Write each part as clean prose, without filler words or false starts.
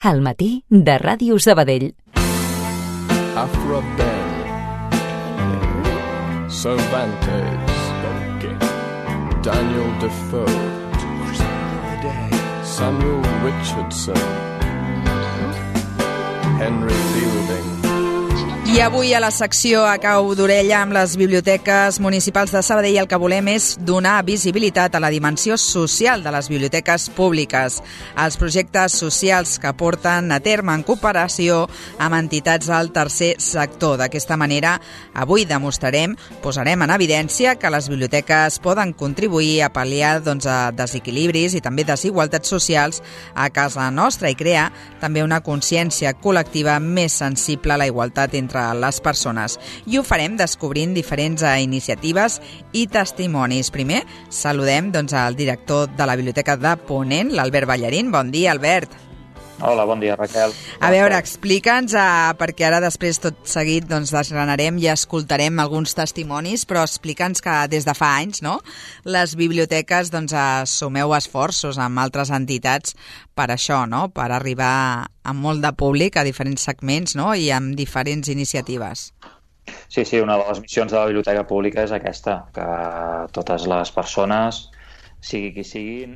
Al matí de Ràdio Sabadell. Afra Bell, Cervantes, Daniel Defoe, Samuel Richardson, Henry Fielding. I avui a la secció A cau d'orella amb les biblioteques municipals de Sabadell el que volem és donar visibilitat a la dimensió social de les biblioteques públiques, als projectes socials que porten a terme en cooperació amb entitats del tercer sector. D'aquesta manera, avui demostrarem, posarem en evidència que les biblioteques poden contribuir a pal·liar a desequilibris i també desigualtats socials a casa nostra i crear també una consciència col·lectiva més sensible a la igualtat entre les persones. I ho farem descobrint diferents iniciatives i testimonis. Primer, saludem al director de la Biblioteca de Ponent, l'Albert Ballarín. Bon dia, Albert. Hola, bon dia, Raquel. A veure, explica'ns, perquè ara després tot seguit desgranarem i escoltarem alguns testimonis, però explica'ns que des de fa anys, les biblioteques sumeu esforços amb altres entitats per això, per arribar a molt de públic a diferents segments i amb diferents iniciatives. Sí, una de les missions de la biblioteca pública és aquesta, que totes les persones, sigui qui siguin,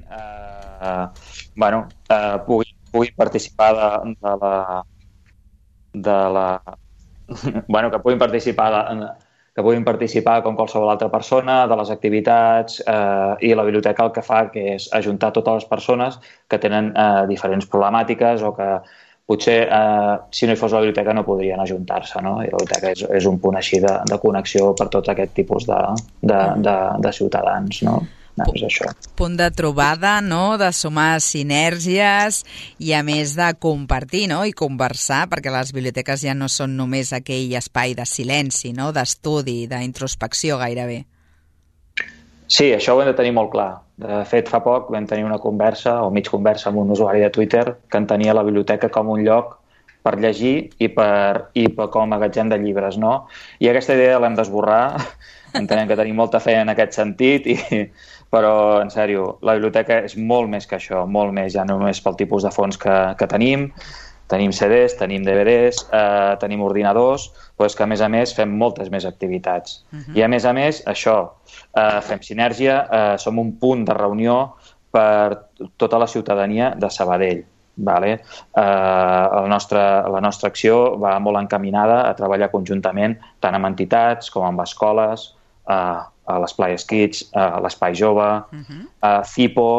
puguin participar que puguin participar com qualsevol altra persona de les activitats, i la biblioteca el que fa que és ajuntar totes les persones que tenen diferents problemàtiques o que potser si no hi fos la biblioteca no podrien ajuntar-se, no? I la biblioteca és un punt així de connexió per tot aquest tipus de ciutadans, no? És això. Punt de trobada, de sumar sinergies i a més de compartir i conversar, perquè les biblioteques ja no són només aquell espai de silenci, d'estudi, d'introspecció gairebé. Sí, això ho hem de tenir molt clar. De fet, fa poc vam tenir una conversa, o mig conversa amb un usuari de Twitter que entenia la biblioteca com un lloc per llegir i com a magatzem de llibres, no? I aquesta idea l'hem d'esborrar. Entenem que tenim molta feina en aquest sentit, però, en sèrio, la biblioteca és molt més que això, molt més, ja no només pel tipus de fons que tenim. Tenim CDs, tenim DVDs, tenim ordinadors, però és que, a més, fem moltes més activitats. I, a més, això, fem sinergia, som un punt de reunió per tota la ciutadania de Sabadell. Vale? La nostra acció va molt encaminada a treballar conjuntament tant amb entitats com amb escoles, a l'Esplai Esquits, a l'Espai Jove, a CIPO,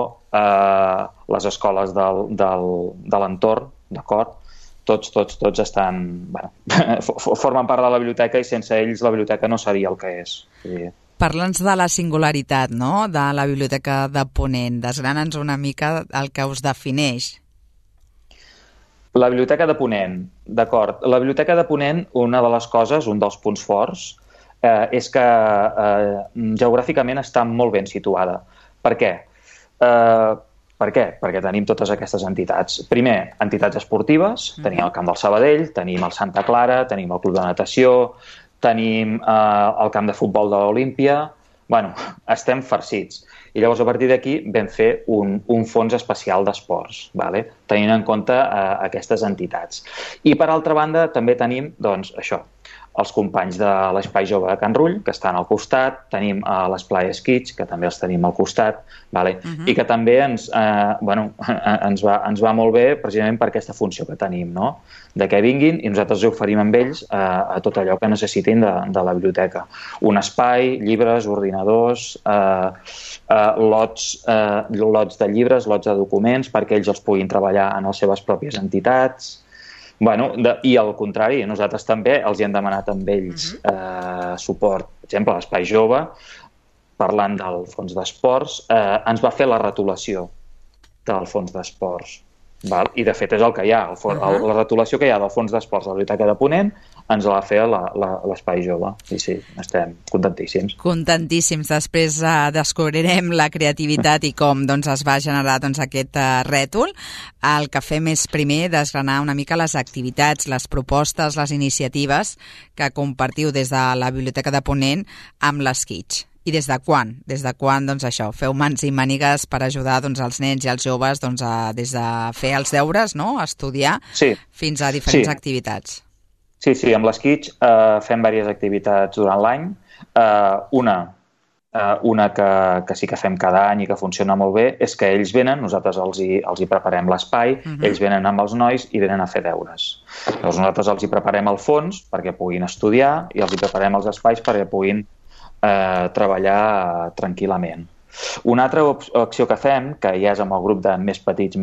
les escoles de l'entorn, d'acord? Tots estan... formen part de la biblioteca i sense ells la biblioteca no seria el que és. Parla'ns de la singularitat, de la Biblioteca de Ponent. Desgrana'ns una mica el que us defineix. La Biblioteca de Ponent, d'acord. La Biblioteca de Ponent, una de les coses, un dels punts forts, és que geogràficament està molt ben situada. Per què? Perquè tenim totes aquestes entitats. Primer, entitats esportives, tenim el Camp del Sabadell, tenim el Santa Clara, tenim el Club de Natació, tenim el camp de futbol de l'Olímpia. Estem farcits. I llavors, a partir d'aquí, vam fer un fons especial d'esports, tenint en compte aquestes entitats. I, per altra banda, també tenim, això, els companys de l'Espai Jove de Can Rull, que estan al costat, tenim l'Esplai Esquits, que també els tenim al costat, i que també ens va molt bé precisament per aquesta funció que tenim, de que vinguin i nosaltres oferim amb ells a tot allò que necessitin de la biblioteca. Un espai, llibres, ordinadors, lots de llibres, lots de documents, perquè ells els puguin treballar en les seves pròpies entitats. I al contrari, nosaltres també els hi hem demanat amb ells suport. Per exemple, l'Espai Jove, parlant del fons d'esports, ens va fer la retolació del fons d'esports. I, de fet, és el que hi ha. La retolació que hi ha del fons d'esports de la Biblioteca de Ponent ens la va fer l'Espai Jove. Sí, estem contentíssims. Contentíssims. Després descobrirem la creativitat i com es va generar aquest rètol. El que fem és primer desgranar una mica les activitats, les propostes, les iniciatives que compartiu des de la Biblioteca de Ponent amb l'Esquits. I des de quan? Des de quan, doncs això, feu mans i mànigues per ajudar doncs, els nens i els joves doncs, des de fer els deures, no?, estudiar, fins a diferents activitats? Sí, amb les Kids fem diverses activitats durant l'any. Una que sí que fem cada any i que funciona molt bé és que ells venen, nosaltres els hi preparem l'espai, ells venen amb els nois i venen a fer deures. Llavors nosaltres els hi preparem el fons perquè puguin estudiar i els hi preparem els espais perquè puguin treballar tranquil·lament. Una altra acció que fem, que ja és amb el grup de més petits,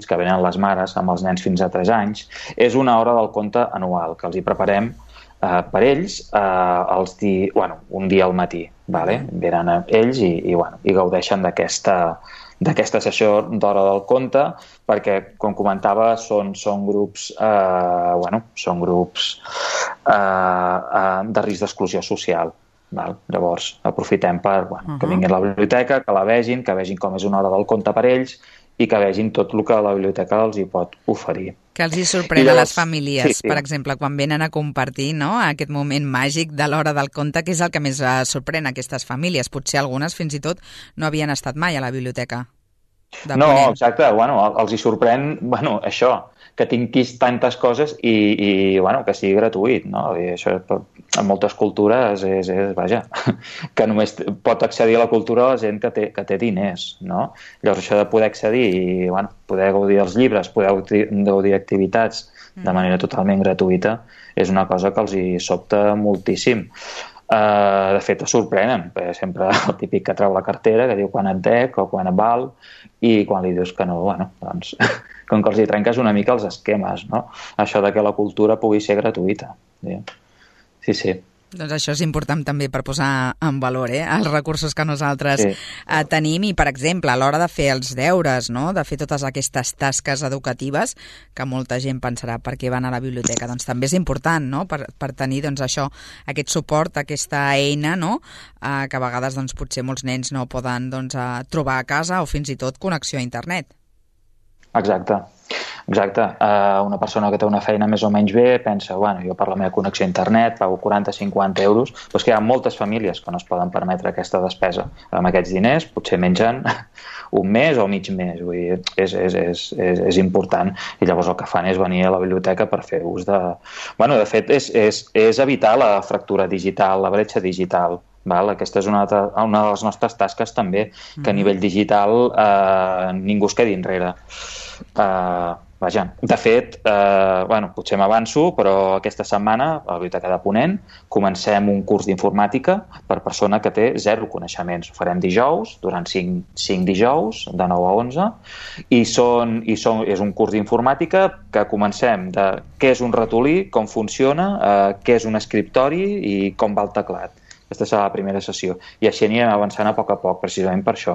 que venen les mares amb els nens fins a 3 anys, és una hora del conte anual, que els hi preparem per ells un dia al matí. Venen ells i gaudeixen d'aquesta sessió d'hora del conte, perquè, com comentava, són grups de risc d'exclusió social. Llavors aprofitem per que vinguin a la biblioteca, que la vegin, que vegin com és una hora del conte per ells i que vegin tot el que la biblioteca els hi pot oferir. Que els hi sorprèn a les famílies, per exemple, quan venen a compartir aquest moment màgic de l'hora del conte, que és el que més sorprèn a aquestes famílies. Potser algunes fins i tot no havien estat mai a la biblioteca. No, exacte, els hi sorprèn això, que tinguis tantes coses i que sigui gratuït, no? I això en moltes cultures és que només pot accedir a la cultura la gent que té diners, no? Llavors això de poder accedir i poder gaudir dels llibres, poder gaudir d'activitats de manera totalment gratuïta és una cosa que els hi sobta moltíssim. De fet, es sorprenen, perquè sempre el típic que treu la cartera, que diu quan et dec o quan et val, i quan li dius que no, doncs, com que els hi trenques una mica els esquemes, no? Això de que la cultura pugui ser gratuïta. Sí. Doncs això és important també per posar en valor els recursos que nosaltres tenim i, per exemple, a l'hora de fer els deures, no?, de fer totes aquestes tasques educatives, que molta gent pensarà per què van a la biblioteca, doncs també és important, no?, per tenir doncs, això, aquest suport, aquesta eina, no?, que a vegades doncs, potser molts nens no poden doncs, trobar a casa o fins i tot connexió a internet. Exacte. Una persona que té una feina més o menys bé pensa, jo per la meva connexió a internet pago 40-50 euros, però és que hi ha moltes famílies que no es poden permetre aquesta despesa. Amb aquests diners potser mengen un mes o mig mes, vull dir, és important. I llavors el que fan és venir a la biblioteca per fer ús de... de fet, és evitar la fractura digital, la bretxa digital. Aquesta és una de les nostres tasques també, que a nivell digital ningú es quedi enrere. De fet, potser m'avanço, però aquesta setmana a la Biblioteca de Ponent comencem un curs d'informàtica per persona que té 0 coneixements. Ho farem dijous, durant 5 dijous, de 9 a 11, i és un curs d'informàtica que comencem de què és un ratolí, com funciona, què és un escriptori i com va el teclat. Aquesta serà la primera sessió. I així anirem avançant a poc, precisament per això.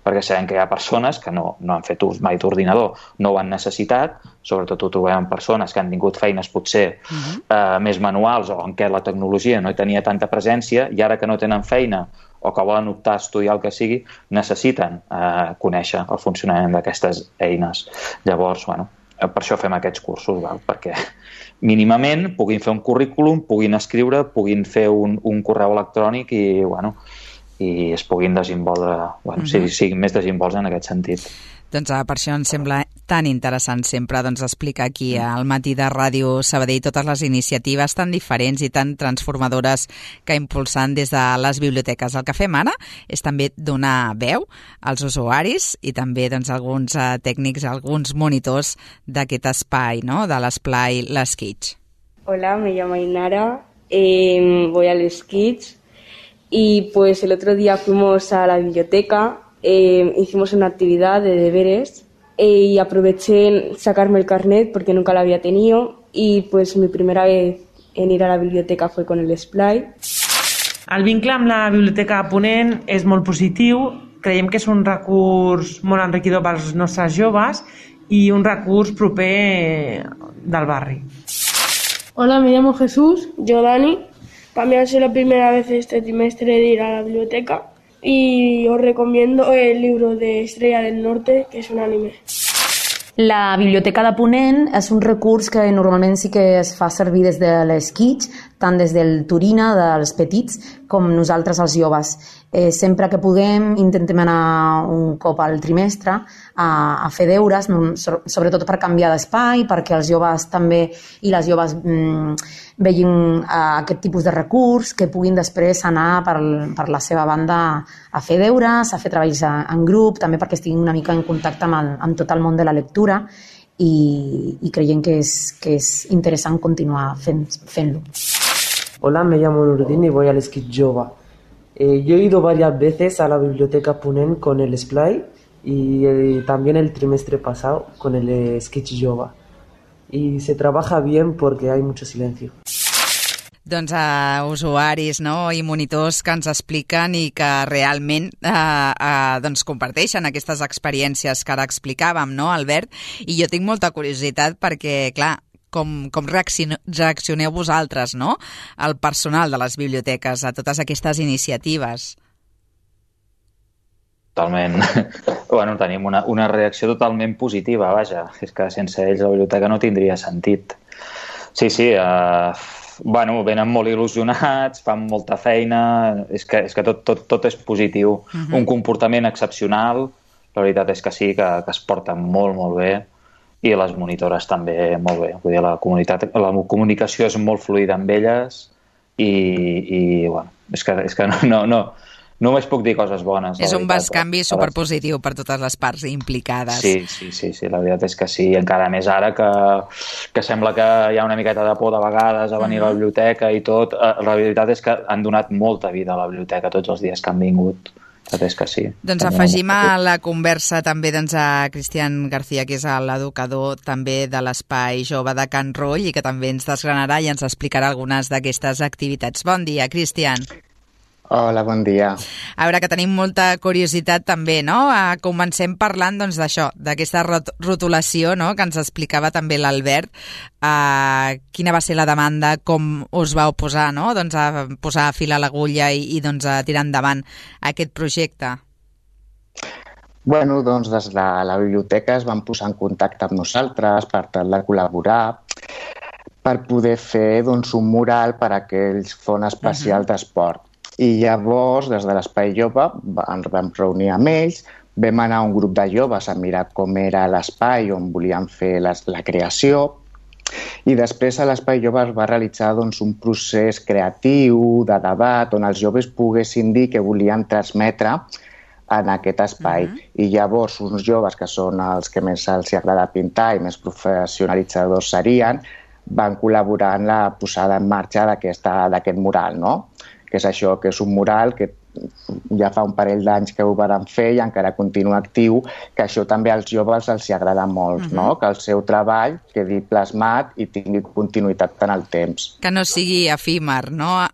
Perquè sabem que hi ha persones que no han fet ús mai d'ordinador, no ho han necessitat, sobretot ho trobem en persones que han tingut feines potser més manuals o en què la tecnologia no hi tenia tanta presència i ara que no tenen feina o que volen optar a estudiar el que sigui, necessiten conèixer el funcionament d'aquestes eines. Llavors, per això fem aquests cursos, perquè mínimament puguin fer un currículum, puguin escriure, puguin fer un correu electrònic i es puguin desenvolupar, siguin més desenvolupats en aquest sentit. Doncs per això ens sembla tan interessant sempre explicar aquí al Matí de Ràdio Sabadell totes les iniciatives tan diferents i tan transformadores que impulsen des de les biblioteques. El que fem ara és també donar veu als usuaris i també alguns tècnics, alguns monitors d'aquest espai, no?, de l'esplai Les Kids. Hola, me llamo Ainara, voy a Les Kids y pues el otro día fuimos a la biblioteca. Hicimos una actividad de deberes y aproveché en sacarme el carnet porque nunca lo había tenido y pues mi primera vez en ir a la biblioteca fue con el Splai. El vincle amb la Biblioteca de Ponent és molt positiu, creiem que és un recurs molt enriquidor pels nostres joves i un recurs proper del barri. Hola, me llamo Jesús. Yo Dani. Para mí ha sido la primera vez este trimestre de ir a la biblioteca. Y os recomiendo el libro de Estrella del Norte, que és un anime. La Biblioteca de Ponent és un recurs que normalment sí que es fa servir des de les Kids, tant des del Turina, dels petits, com nosaltres els joves. Sempre que puguem intentem anar un cop al trimestre a fer deures, sobretot per canviar d'espai, perquè els joves també i les joves vegin aquest tipus de recurs, que puguin després anar per la seva banda a fer deures, a fer treballs en grup, també perquè estiguin una mica en contacte amb tot el món de la lectura y creiem que es interesante continuar haciendo. Hola, me llamo Nurdin y voy al Skit Jova. Yo he ido varias veces a la biblioteca Ponent con el Splay y también el trimestre pasado con el Skit Jova. Y se trabaja bien porque hay mucho silencio. Doncs usuaris, no?, i monitors que ens expliquen i que realment doncs comparteixen aquestes experiències que ara explicàvem, no, Albert? I jo tinc molta curiositat perquè, clar, com reaccioneu vosaltres, no?, el personal de les biblioteques a totes aquestes iniciatives. Totalment. Bueno, tenim una reacció totalment positiva, vaja. És que sense ells la biblioteca no tindria sentit. Sí, bueno, venen molt il·lusionats, fan molta feina, és que tot és positiu. Un comportament excepcional, la veritat és que sí, que es porten molt, molt bé, i les monitores també molt bé. Vull dir, la comunicació és molt fluida amb elles i bueno, és que no només puc dir coses bones. És un bescanvi superpositiu per totes les parts implicades. Sí, la veritat és que sí, encara més ara que sembla que hi ha una miqueta de por de vegades a venir a la biblioteca i tot. La veritat és que han donat molta vida a la biblioteca tots els dies que han vingut. La veritat és que sí. Doncs afegim a la conversa també a Cristian García, que és l'educador també de l'Espai Jove de Can Rull i que també ens desgranarà i ens explicarà algunes d'aquestes activitats. Bon dia, Cristian. Hola, bon dia. A veure, que tenim molta curiositat també, no? Comencem parlant doncs d'això, d'aquesta rotulació, no?, que ens explicava també l'Albert. Quina va ser la demanda, com us vau posar, no?, doncs a posar fil a l'agulla i doncs a tirar endavant aquest projecte. Bueno, doncs des de la biblioteca es van posar en contacte amb nosaltres per tal de col·laborar per poder fer doncs, un mural per a aquell font especial d'esport. I llavors, des de l'Espai Jove, ens vam reunir amb ells, vam anar a un grup de joves a mirar com era l'espai on volíem fer la creació i després a l'Espai Jove es va realitzar doncs, un procés creatiu, de debat, on els joves poguessin dir què volien transmetre en aquest espai. I llavors uns joves, que són els que més els agrada pintar i més professionalitzadors serien, van col·laborar en la posada en marxa d'aquest mural, no?, que és això, que és un mural que ja fa un parell d'anys que ho van fer i encara continua actiu, que això també als joves els agrada molt, no? Que el seu treball quedi plasmat i tingui continuïtat en el temps. Que no sigui efímer, no?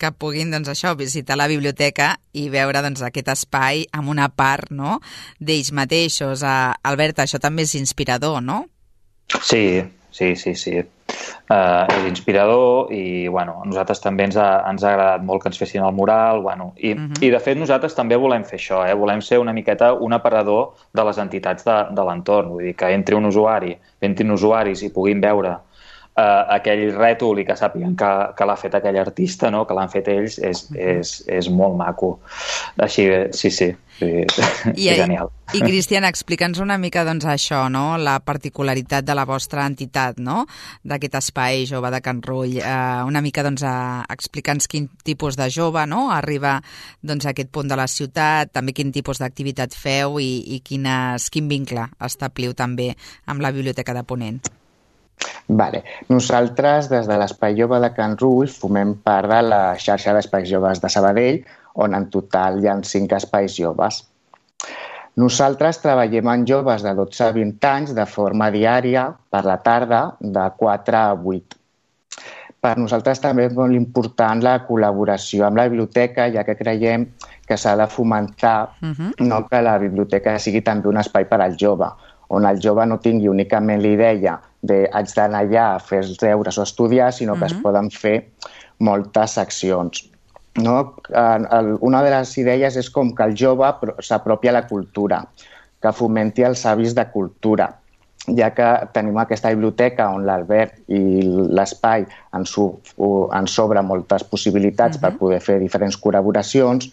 Que puguin, doncs això, visitar la biblioteca i veure doncs, aquest espai amb una part, no?, d'ells mateixos. Albert, això també és inspirador, no? Sí. És inspirador i bueno, a nosaltres també ens ha agradat molt que ens fessin el mural, bueno, i de fet nosaltres també volem fer això, volem ser una miqueta un aparador de les entitats de l'entorn, vull dir que entrin usuaris i puguin veure aquell rètol i que sàpiguen que l'ha fet aquell artista, no?, que l'han fet ells, és molt maco. Així, sí, és genial. I Cristian, explica'ns una mica doncs això, no?, la particularitat de la vostra entitat, no?, d'aquest Espai Jove de Can Rull. Una mica doncs explica'ns quin tipus de jove, no?, arriba doncs a aquest punt de la ciutat, també quin tipus d'activitat feu i quin vincle establiu també amb la Biblioteca de Ponent. Vale. Nosaltres, des de l'Espai Jove de Can Rull, formem part de la xarxa d'Espais Joves de Sabadell, on en total hi ha 5 espais joves. Nosaltres treballem amb joves de 12 a 20 anys de forma diària per la tarda de 4 a 8. Per nosaltres també és molt important la col·laboració amb la biblioteca, ja que creiem que s'ha de fomentar que la biblioteca sigui també un espai per al jove, on el jove no tingui únicament l'idea de haig d'anar allà a fer els deures o estudiar, sinó que es poden fer moltes accions. No? Una de les idees és com que el jove s'apropia a la cultura, que fomenti els hàbits de cultura. ja que tenim aquesta biblioteca on l'Albert i l'espai ens s'obre moltes possibilitats per poder fer diferents col·laboracions.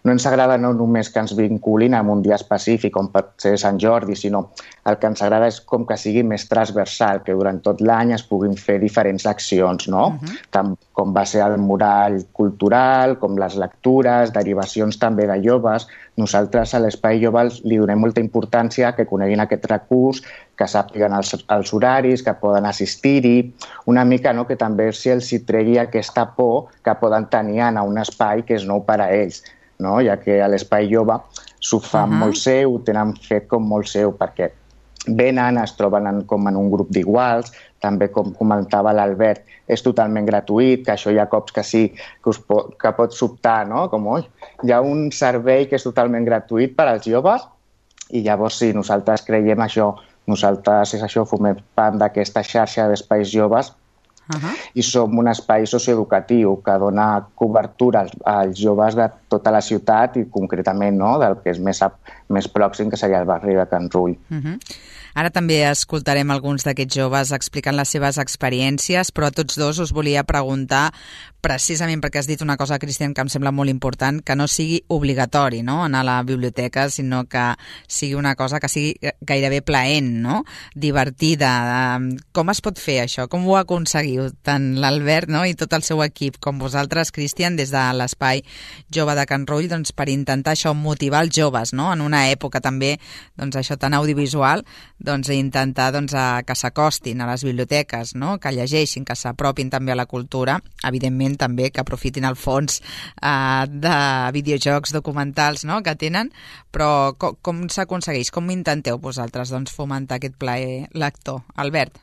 No ens agrada no només que ens vinculin amb un dia específic, com pot ser Sant Jordi, sinó el que ens agrada és com que sigui més transversal, que durant tot l'any es puguin fer diferents accions, no? Tant com va ser el mural cultural, com les lectures, derivacions també de joves. Nosaltres a l'Espai Jove li donem molta importància que coneguin aquest recurs, que sàpiguen els horaris, que poden assistir-hi, una mica que també els tregui aquesta por que poden tenir en un espai que és nou per a ells, ja que a l'Espai Jove s'ho fan molt seu, ho tenen fet com molt seu, perquè venen, es troben com en un grup d'iguals, també com comentava l'Albert, és totalment gratuït, que això hi ha cops que sí, que pot sobtar, no? Com, hi ha un servei que és totalment gratuït per als joves i llavors sí, nosaltres creiem això, nosaltres és això, formem part d'aquesta xarxa d'espais joves i som un espai socioeducatiu que dona cobertura als joves de tota la ciutat i concretament del que és més pròxim, que seria el barri de Can Rull. Ara també escoltarem alguns d'aquests joves explicant les seves experiències, però a tots dos us volia preguntar, precisament perquè has dit una cosa, Cristian, que em sembla molt important, que no sigui obligatori anar a la biblioteca, sinó que sigui una cosa que sigui gairebé plaent, divertida. Com es pot fer això? Com ho aconseguiu? Tant l'Albert i tot el seu equip com vosaltres, Cristian, des de l'Espai Jove de Can Rull, per intentar això, motivar els joves, en una època també això tan audiovisual, intentar que s'acostin a les biblioteques, que llegeixin, que s'apropin també a la cultura, evidentment també que aprofitin el fons de videojocs documentals que tenen, però com s'aconsegueix? Com intenteu vosaltres fomentar aquest plaer lector? Albert?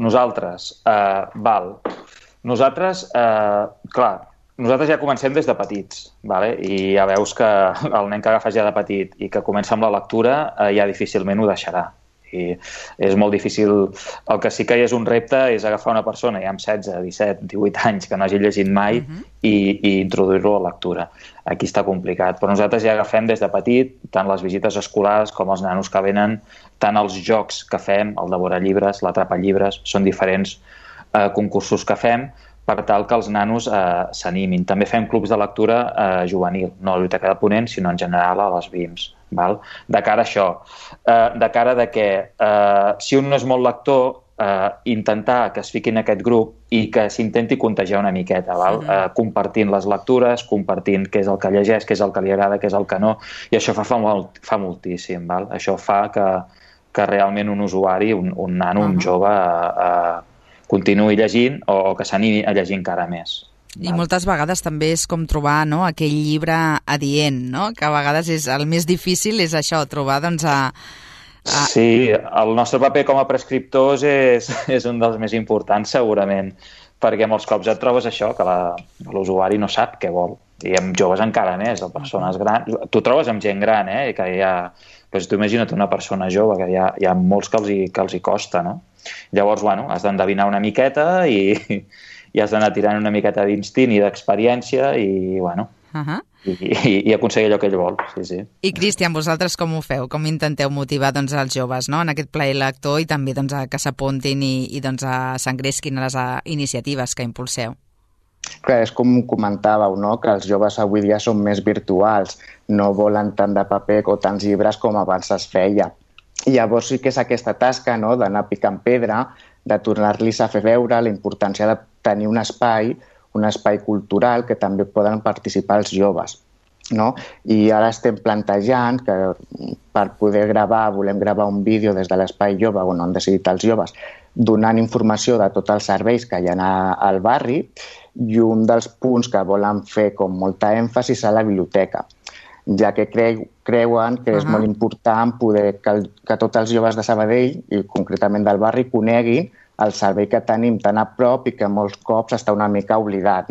Nosaltres, nosaltres ja comencem des de petits, i ja veus que el nen que agafes ja de petit i que comença amb la lectura ja difícilment ho deixarà. I és molt difícil. El que sí que és un repte és agafar una persona ja amb 16, 17, 18 anys que no hagi llegit mai i introduir-lo a la lectura. Aquí està complicat, però nosaltres ja agafem des de petit tant les visites escolars com els nanos que venen, tant els jocs que fem, el devora llibres, l'atrapa llibres, són diferents concursos que fem per tal que els nanos s'animin. També fem clubs de lectura juvenil, no a la Biblioteca de Ponent, sinó en general a les BIMs. De cara a això, de cara de que si un no és molt lector, intentar que es fiqui en aquest grup i que s'intenti contagiar una miqueta, compartint les lectures, compartint què és el que llegeix, què és el que li agrada, què és el que no, i això fa moltíssim. Això fa que realment un usuari, un nano, un jove, continuï llegint o que s'animi a llegir encara més. I moltes vegades també és com trobar aquell llibre adient, que a vegades és el més difícil, és això, trobar Sí, el nostre paper com a prescriptors és un dels més importants segurament, perquè molts cops et trobes això, que l'usuari no sap què vol, i amb joves encara més, o persones grans. Tu trobes amb gent gran, que ja... Tu imagina't una persona jove, que hi ha molts que els hi costa, no? Llavors, has d'endevinar una miqueta i has d'anar tirant una miqueta d'instint i d'experiència i aconseguir allò que ell vol. Sí. I, Cristian, vosaltres com ho feu? Com intenteu motivar els joves en aquest plaer lector i també que s'apuntin i s'engresquin a les iniciatives que impulseu? Clar, és com comentàveu, que els joves avui dia són més virtuals, no volen tant de paper o tants llibres com abans es feia. I llavors sí que és aquesta tasca d'anar picant pedra, de tornar-los a fer veure la importància de tenir un espai cultural que també poden participar els joves. I ara estem plantejant que per poder volem gravar un vídeo des de l'Espai Jove on han decidit els joves, donant informació de tots els serveis que hi ha al barri, i un dels punts que volen fer com molta èmfasi és a la biblioteca, ja que creuen que és molt important poder que tots els joves de Sabadell, i concretament del barri, coneguin el servei que tenim tan a prop i que molts cops està una mica oblidat,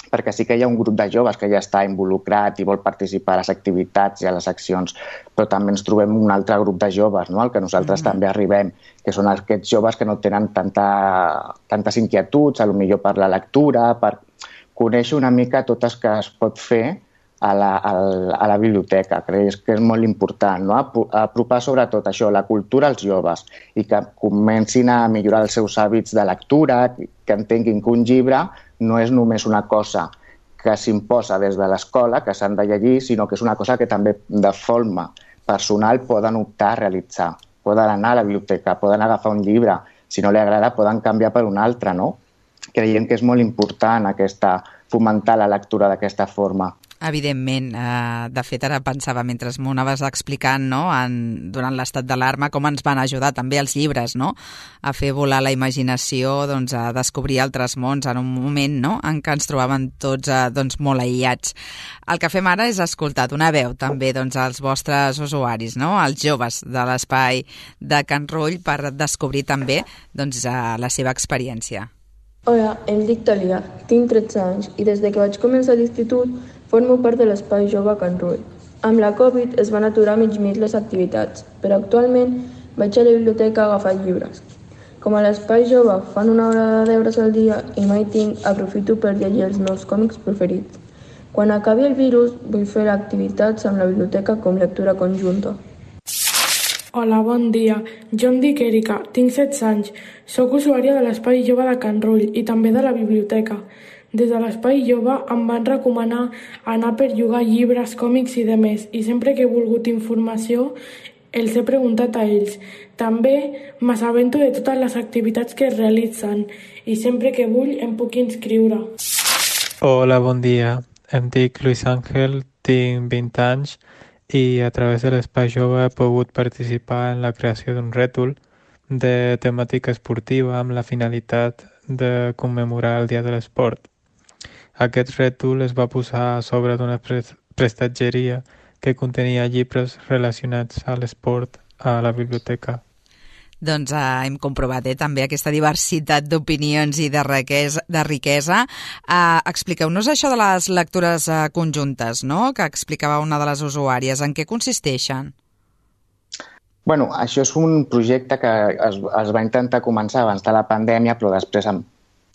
perquè sí que hi ha un grup de joves que ja està involucrat i vol participar a les activitats i a les accions, però també ens trobem un altre grup de joves, al que nosaltres també arribem, que són aquests joves que no tenen tantes inquietuds, potser per la lectura, per conèixer una mica tot el que es pot fer a la biblioteca. Crec que és molt important, no? Apropar sobretot això, la cultura als joves, i que comencin a millorar els seus hàbits de lectura, que entenguin que un llibre no és només una cosa que s'imposa des de l'escola, que s'han de llegir, sinó que és una cosa que també de forma personal poden optar a realitzar. Poden anar a la biblioteca, poden agafar un llibre, si no li agrada poden canviar per un altre, no? Creiem que és molt important fomentar la lectura d'aquesta forma. Evidentment. De fet, ara pensava, mentre m'ho anaves explicant, no? Durant l'estat d'alarma, com ens van ajudar també els llibres, no? A fer volar la imaginació, doncs, a descobrir altres mons en un moment, no? En què ens trobàvem tots molt aïllats. El que fem ara és escoltar d'una veu també als vostres usuaris, no? Els joves de l'espai de Can Rull, per descobrir també la seva experiència. Hola, em dic Talia, tinc 13 anys i des de que vaig començar l'institut formo part de l'Espai Jove Can Rull. Amb la Covid es van aturar mig les activitats, però actualment vaig a la biblioteca a agafar llibres. Com a l'Espai Jove fan una hora de deures al dia i mai tinc, aprofito per llegir els meus còmics preferits. Quan acabi el virus vull fer activitats amb la biblioteca com lectura conjunta. Hola, bon dia. Jo em dic Erika, tinc 16 anys. Soc usuària de l'Espai Jove de Can Rull i també de la biblioteca. Des de l'Espai Jove em van recomanar anar per llogar llibres, còmics i demés, i sempre que he volgut informació els he preguntat a ells. També m'assabento de totes les activitats que es realitzen i sempre que vull em puc inscriure. Hola, bon dia. Em dic Luis Ángel, tinc 20 anys i a través de l'Espai Jove he pogut participar en la creació d'un rètol de temàtica esportiva amb la finalitat de commemorar el Dia de l'Esport. Aquest rètol es va posar a sobre d'una prestatgeria que contenia llibres relacionats a l'esport a la biblioteca. Doncs hem comprovat també aquesta diversitat d'opinions i de riquesa. Expliqueu-nos això de les lectures conjuntes, no?, que explicava una de les usuàries. En què consisteixen? Bueno, això és un projecte que es va intentar començar abans de la pandèmia, però després amb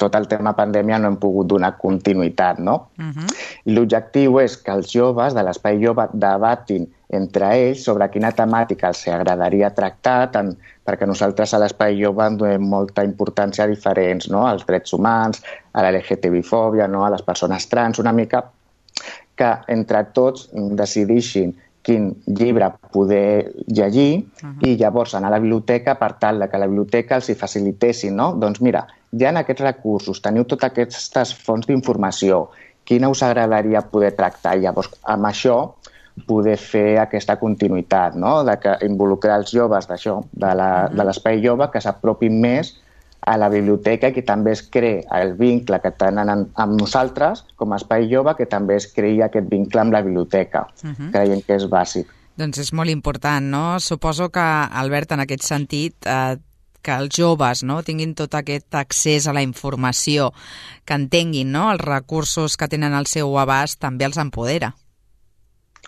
tot el tema pandèmia no hem pogut donar continuïtat, no? I l'objectiu és que els joves de l'Espai Jove debatin entre ells sobre quina temàtica els agradaria tractar, perquè nosaltres a l'Espai Jove donem molta importància a diferents, no? Als drets humans, a l'LGTBI-fòbia, no? A les persones trans, una mica que entre tots decidixin quin llibre poder llegir i llavors anar a la biblioteca per tal que la biblioteca els hi facilitessin, no? Doncs mira, hi ha aquests recursos, teniu totes aquestes fonts d'informació, quina us agradaria poder tractar? I llavors amb això poder fer aquesta continuïtat, no? De que involucrar els joves d'això, de l'Espai Jove, que s'apropin més a la biblioteca i que també es creï el vincle que tenen amb nosaltres com a Espai Jove, que també es creï aquest vincle amb la biblioteca. Creiem que és bàsic. Doncs és molt important, no? Suposo que, Albert, en aquest sentit, que els joves, no?, tinguin tot aquest accés a la informació, que entenguin, no?, els recursos que tenen al seu abast, també els empodera.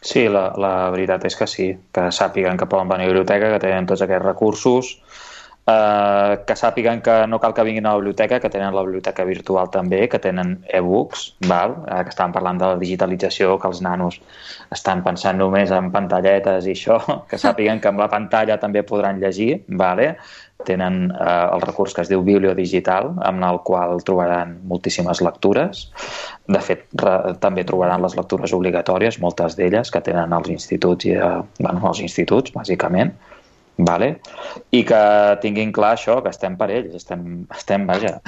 Sí, la veritat és que sí, que sàpiguen que poden venir a la biblioteca, que tenen tots aquests recursos, que sàpiguen que no cal que vinguin a la biblioteca, que tenen la biblioteca virtual també, que tenen e-books, que estàvem parlant de la digitalització, que els nanos estan pensant només en pantalletes i això, que sàpiguen que amb la pantalla també podran llegir, tenen el recurs que es diu Bibliodigital, amb el qual trobaran moltíssimes lectures. De fet, també trobaran les lectures obligatòries, moltes d'elles que tenen als instituts, els instituts, bàsicament. I que tinguin clar això, que estem per ells, estem vaja.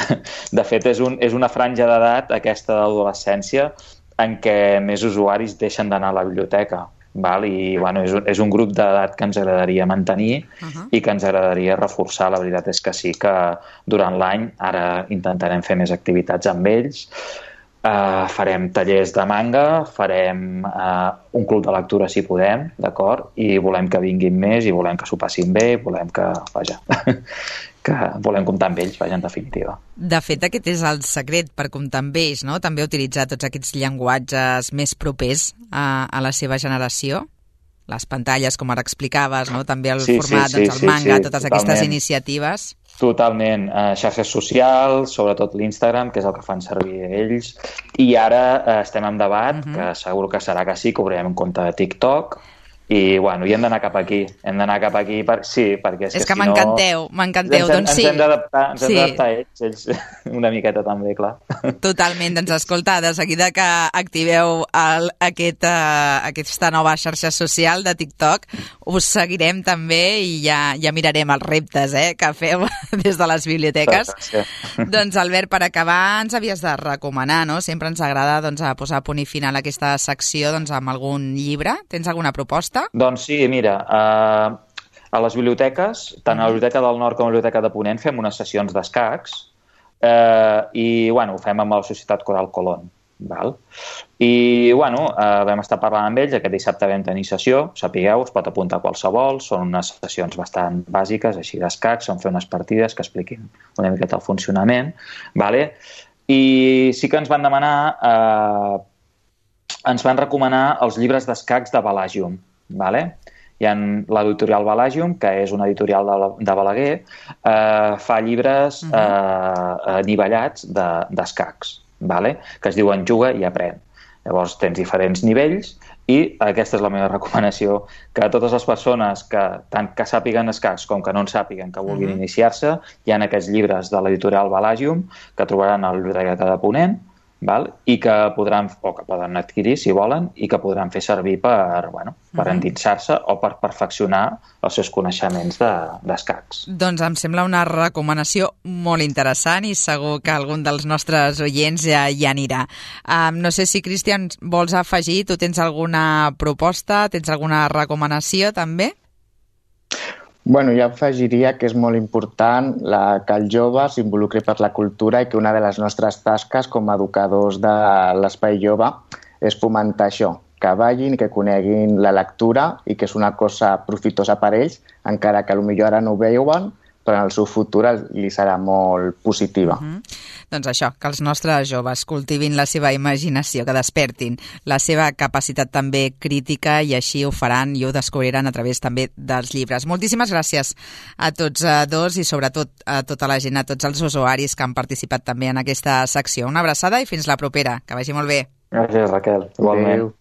De fet, és una franja d'edat, aquesta de l'adolescència, en què més usuaris deixen d'anar a la biblioteca. I és un grup d'edat que ens agradaria mantenir i que ens agradaria reforçar. La veritat és que sí, que durant l'any ara intentarem fer més activitats amb ells. Farem tallers de manga, farem un club de lectura si podem, d'acord? I volem que vinguin més i volem que s'ho passin bé, volem que volem comptar amb ells, en definitiva. De fet, aquest és el secret per comptar amb ells, no? També utilitzar tots aquests llenguatges més propers a la seva generació. Les pantalles, com ara explicaves, no? També el format, el manga, totes aquestes iniciatives. Totalment. Xarxes socials, sobretot l'Instagram, que és el que fan servir ells. I ara estem en debat, que segur que serà que sí, que obrirem un compte de TikTok. I, bueno, hi hem d'anar cap aquí. Hem d'anar cap aquí, perquè és que si m'encanteu, m'encanteu. Doncs sí. Ens hem d'adaptar a ells una miqueta també, clar. Totalment. Doncs escolta, de seguida que activeu aquesta nova xarxa social de TikTok, us seguirem també i ja mirarem els reptes que feu des de les biblioteques. Doncs, Albert, per acabar, ens havies de recomanar, no? Sempre ens agrada posar punt i final a aquesta secció amb algun llibre. Tens alguna proposta? Doncs sí, mira, a les biblioteques, tant a la Biblioteca del Nord com a la Biblioteca de Ponent, fem unes sessions d'escacs i, bueno, ho fem amb la Societat Coral Colón. Val? I, bueno, vam estar parlant amb ells, aquest dissabte vam tenir sessió, sapigueu, es pot apuntar qualsevol, són unes sessions bastant bàsiques, així d'escacs, són fer unes partides que expliquin una miqueta el funcionament, vale? I sí que ens van demanar... ens van recomanar els llibres d'escacs de Balagium. Vale? Hi ha l'editorial Balagium, que és una editorial de Balaguer, fa llibres nivellats d'escacs, vale? Que es diuen Juga i Aprèn. Llavors tens diferents nivells i aquesta és la meva recomanació, que a totes les persones que tant que sàpiguen escacs com que no en sàpiguen, que vulguin iniciar-se, hi ha aquests llibres de l'editorial Balagium que trobaran a la Biblioteca de Ponent, val? I que poden adquirir, si volen, i que podran fer servir per endinsar-se o per perfeccionar els seus coneixements d'escacs. Doncs em sembla una recomanació molt interessant i segur que algun dels nostres oients ja hi anirà. No sé si, Cristian, vols afegir? Tu tens alguna proposta? Tens alguna recomanació, també? Bueno, jo afegiria que és molt important que el jove s'involucri per la cultura i que una de les nostres tasques com a educadors de l'Espai Jove és fomentar això, que vagin i que coneguin la lectura i que és una cosa profitosa per ells, encara que potser ara no ho veuen, però en el seu futur li serà molt positiva. Doncs això, que els nostres joves cultivin la seva imaginació, que despertin la seva capacitat també crítica i així ho faran i ho descobriran a través també dels llibres. Moltíssimes gràcies a tots dos i sobretot a tota la gent, a tots els usuaris que han participat també en aquesta secció. Una abraçada i fins la propera. Que vagi molt bé. Gràcies, Raquel. Igualment. Adéu.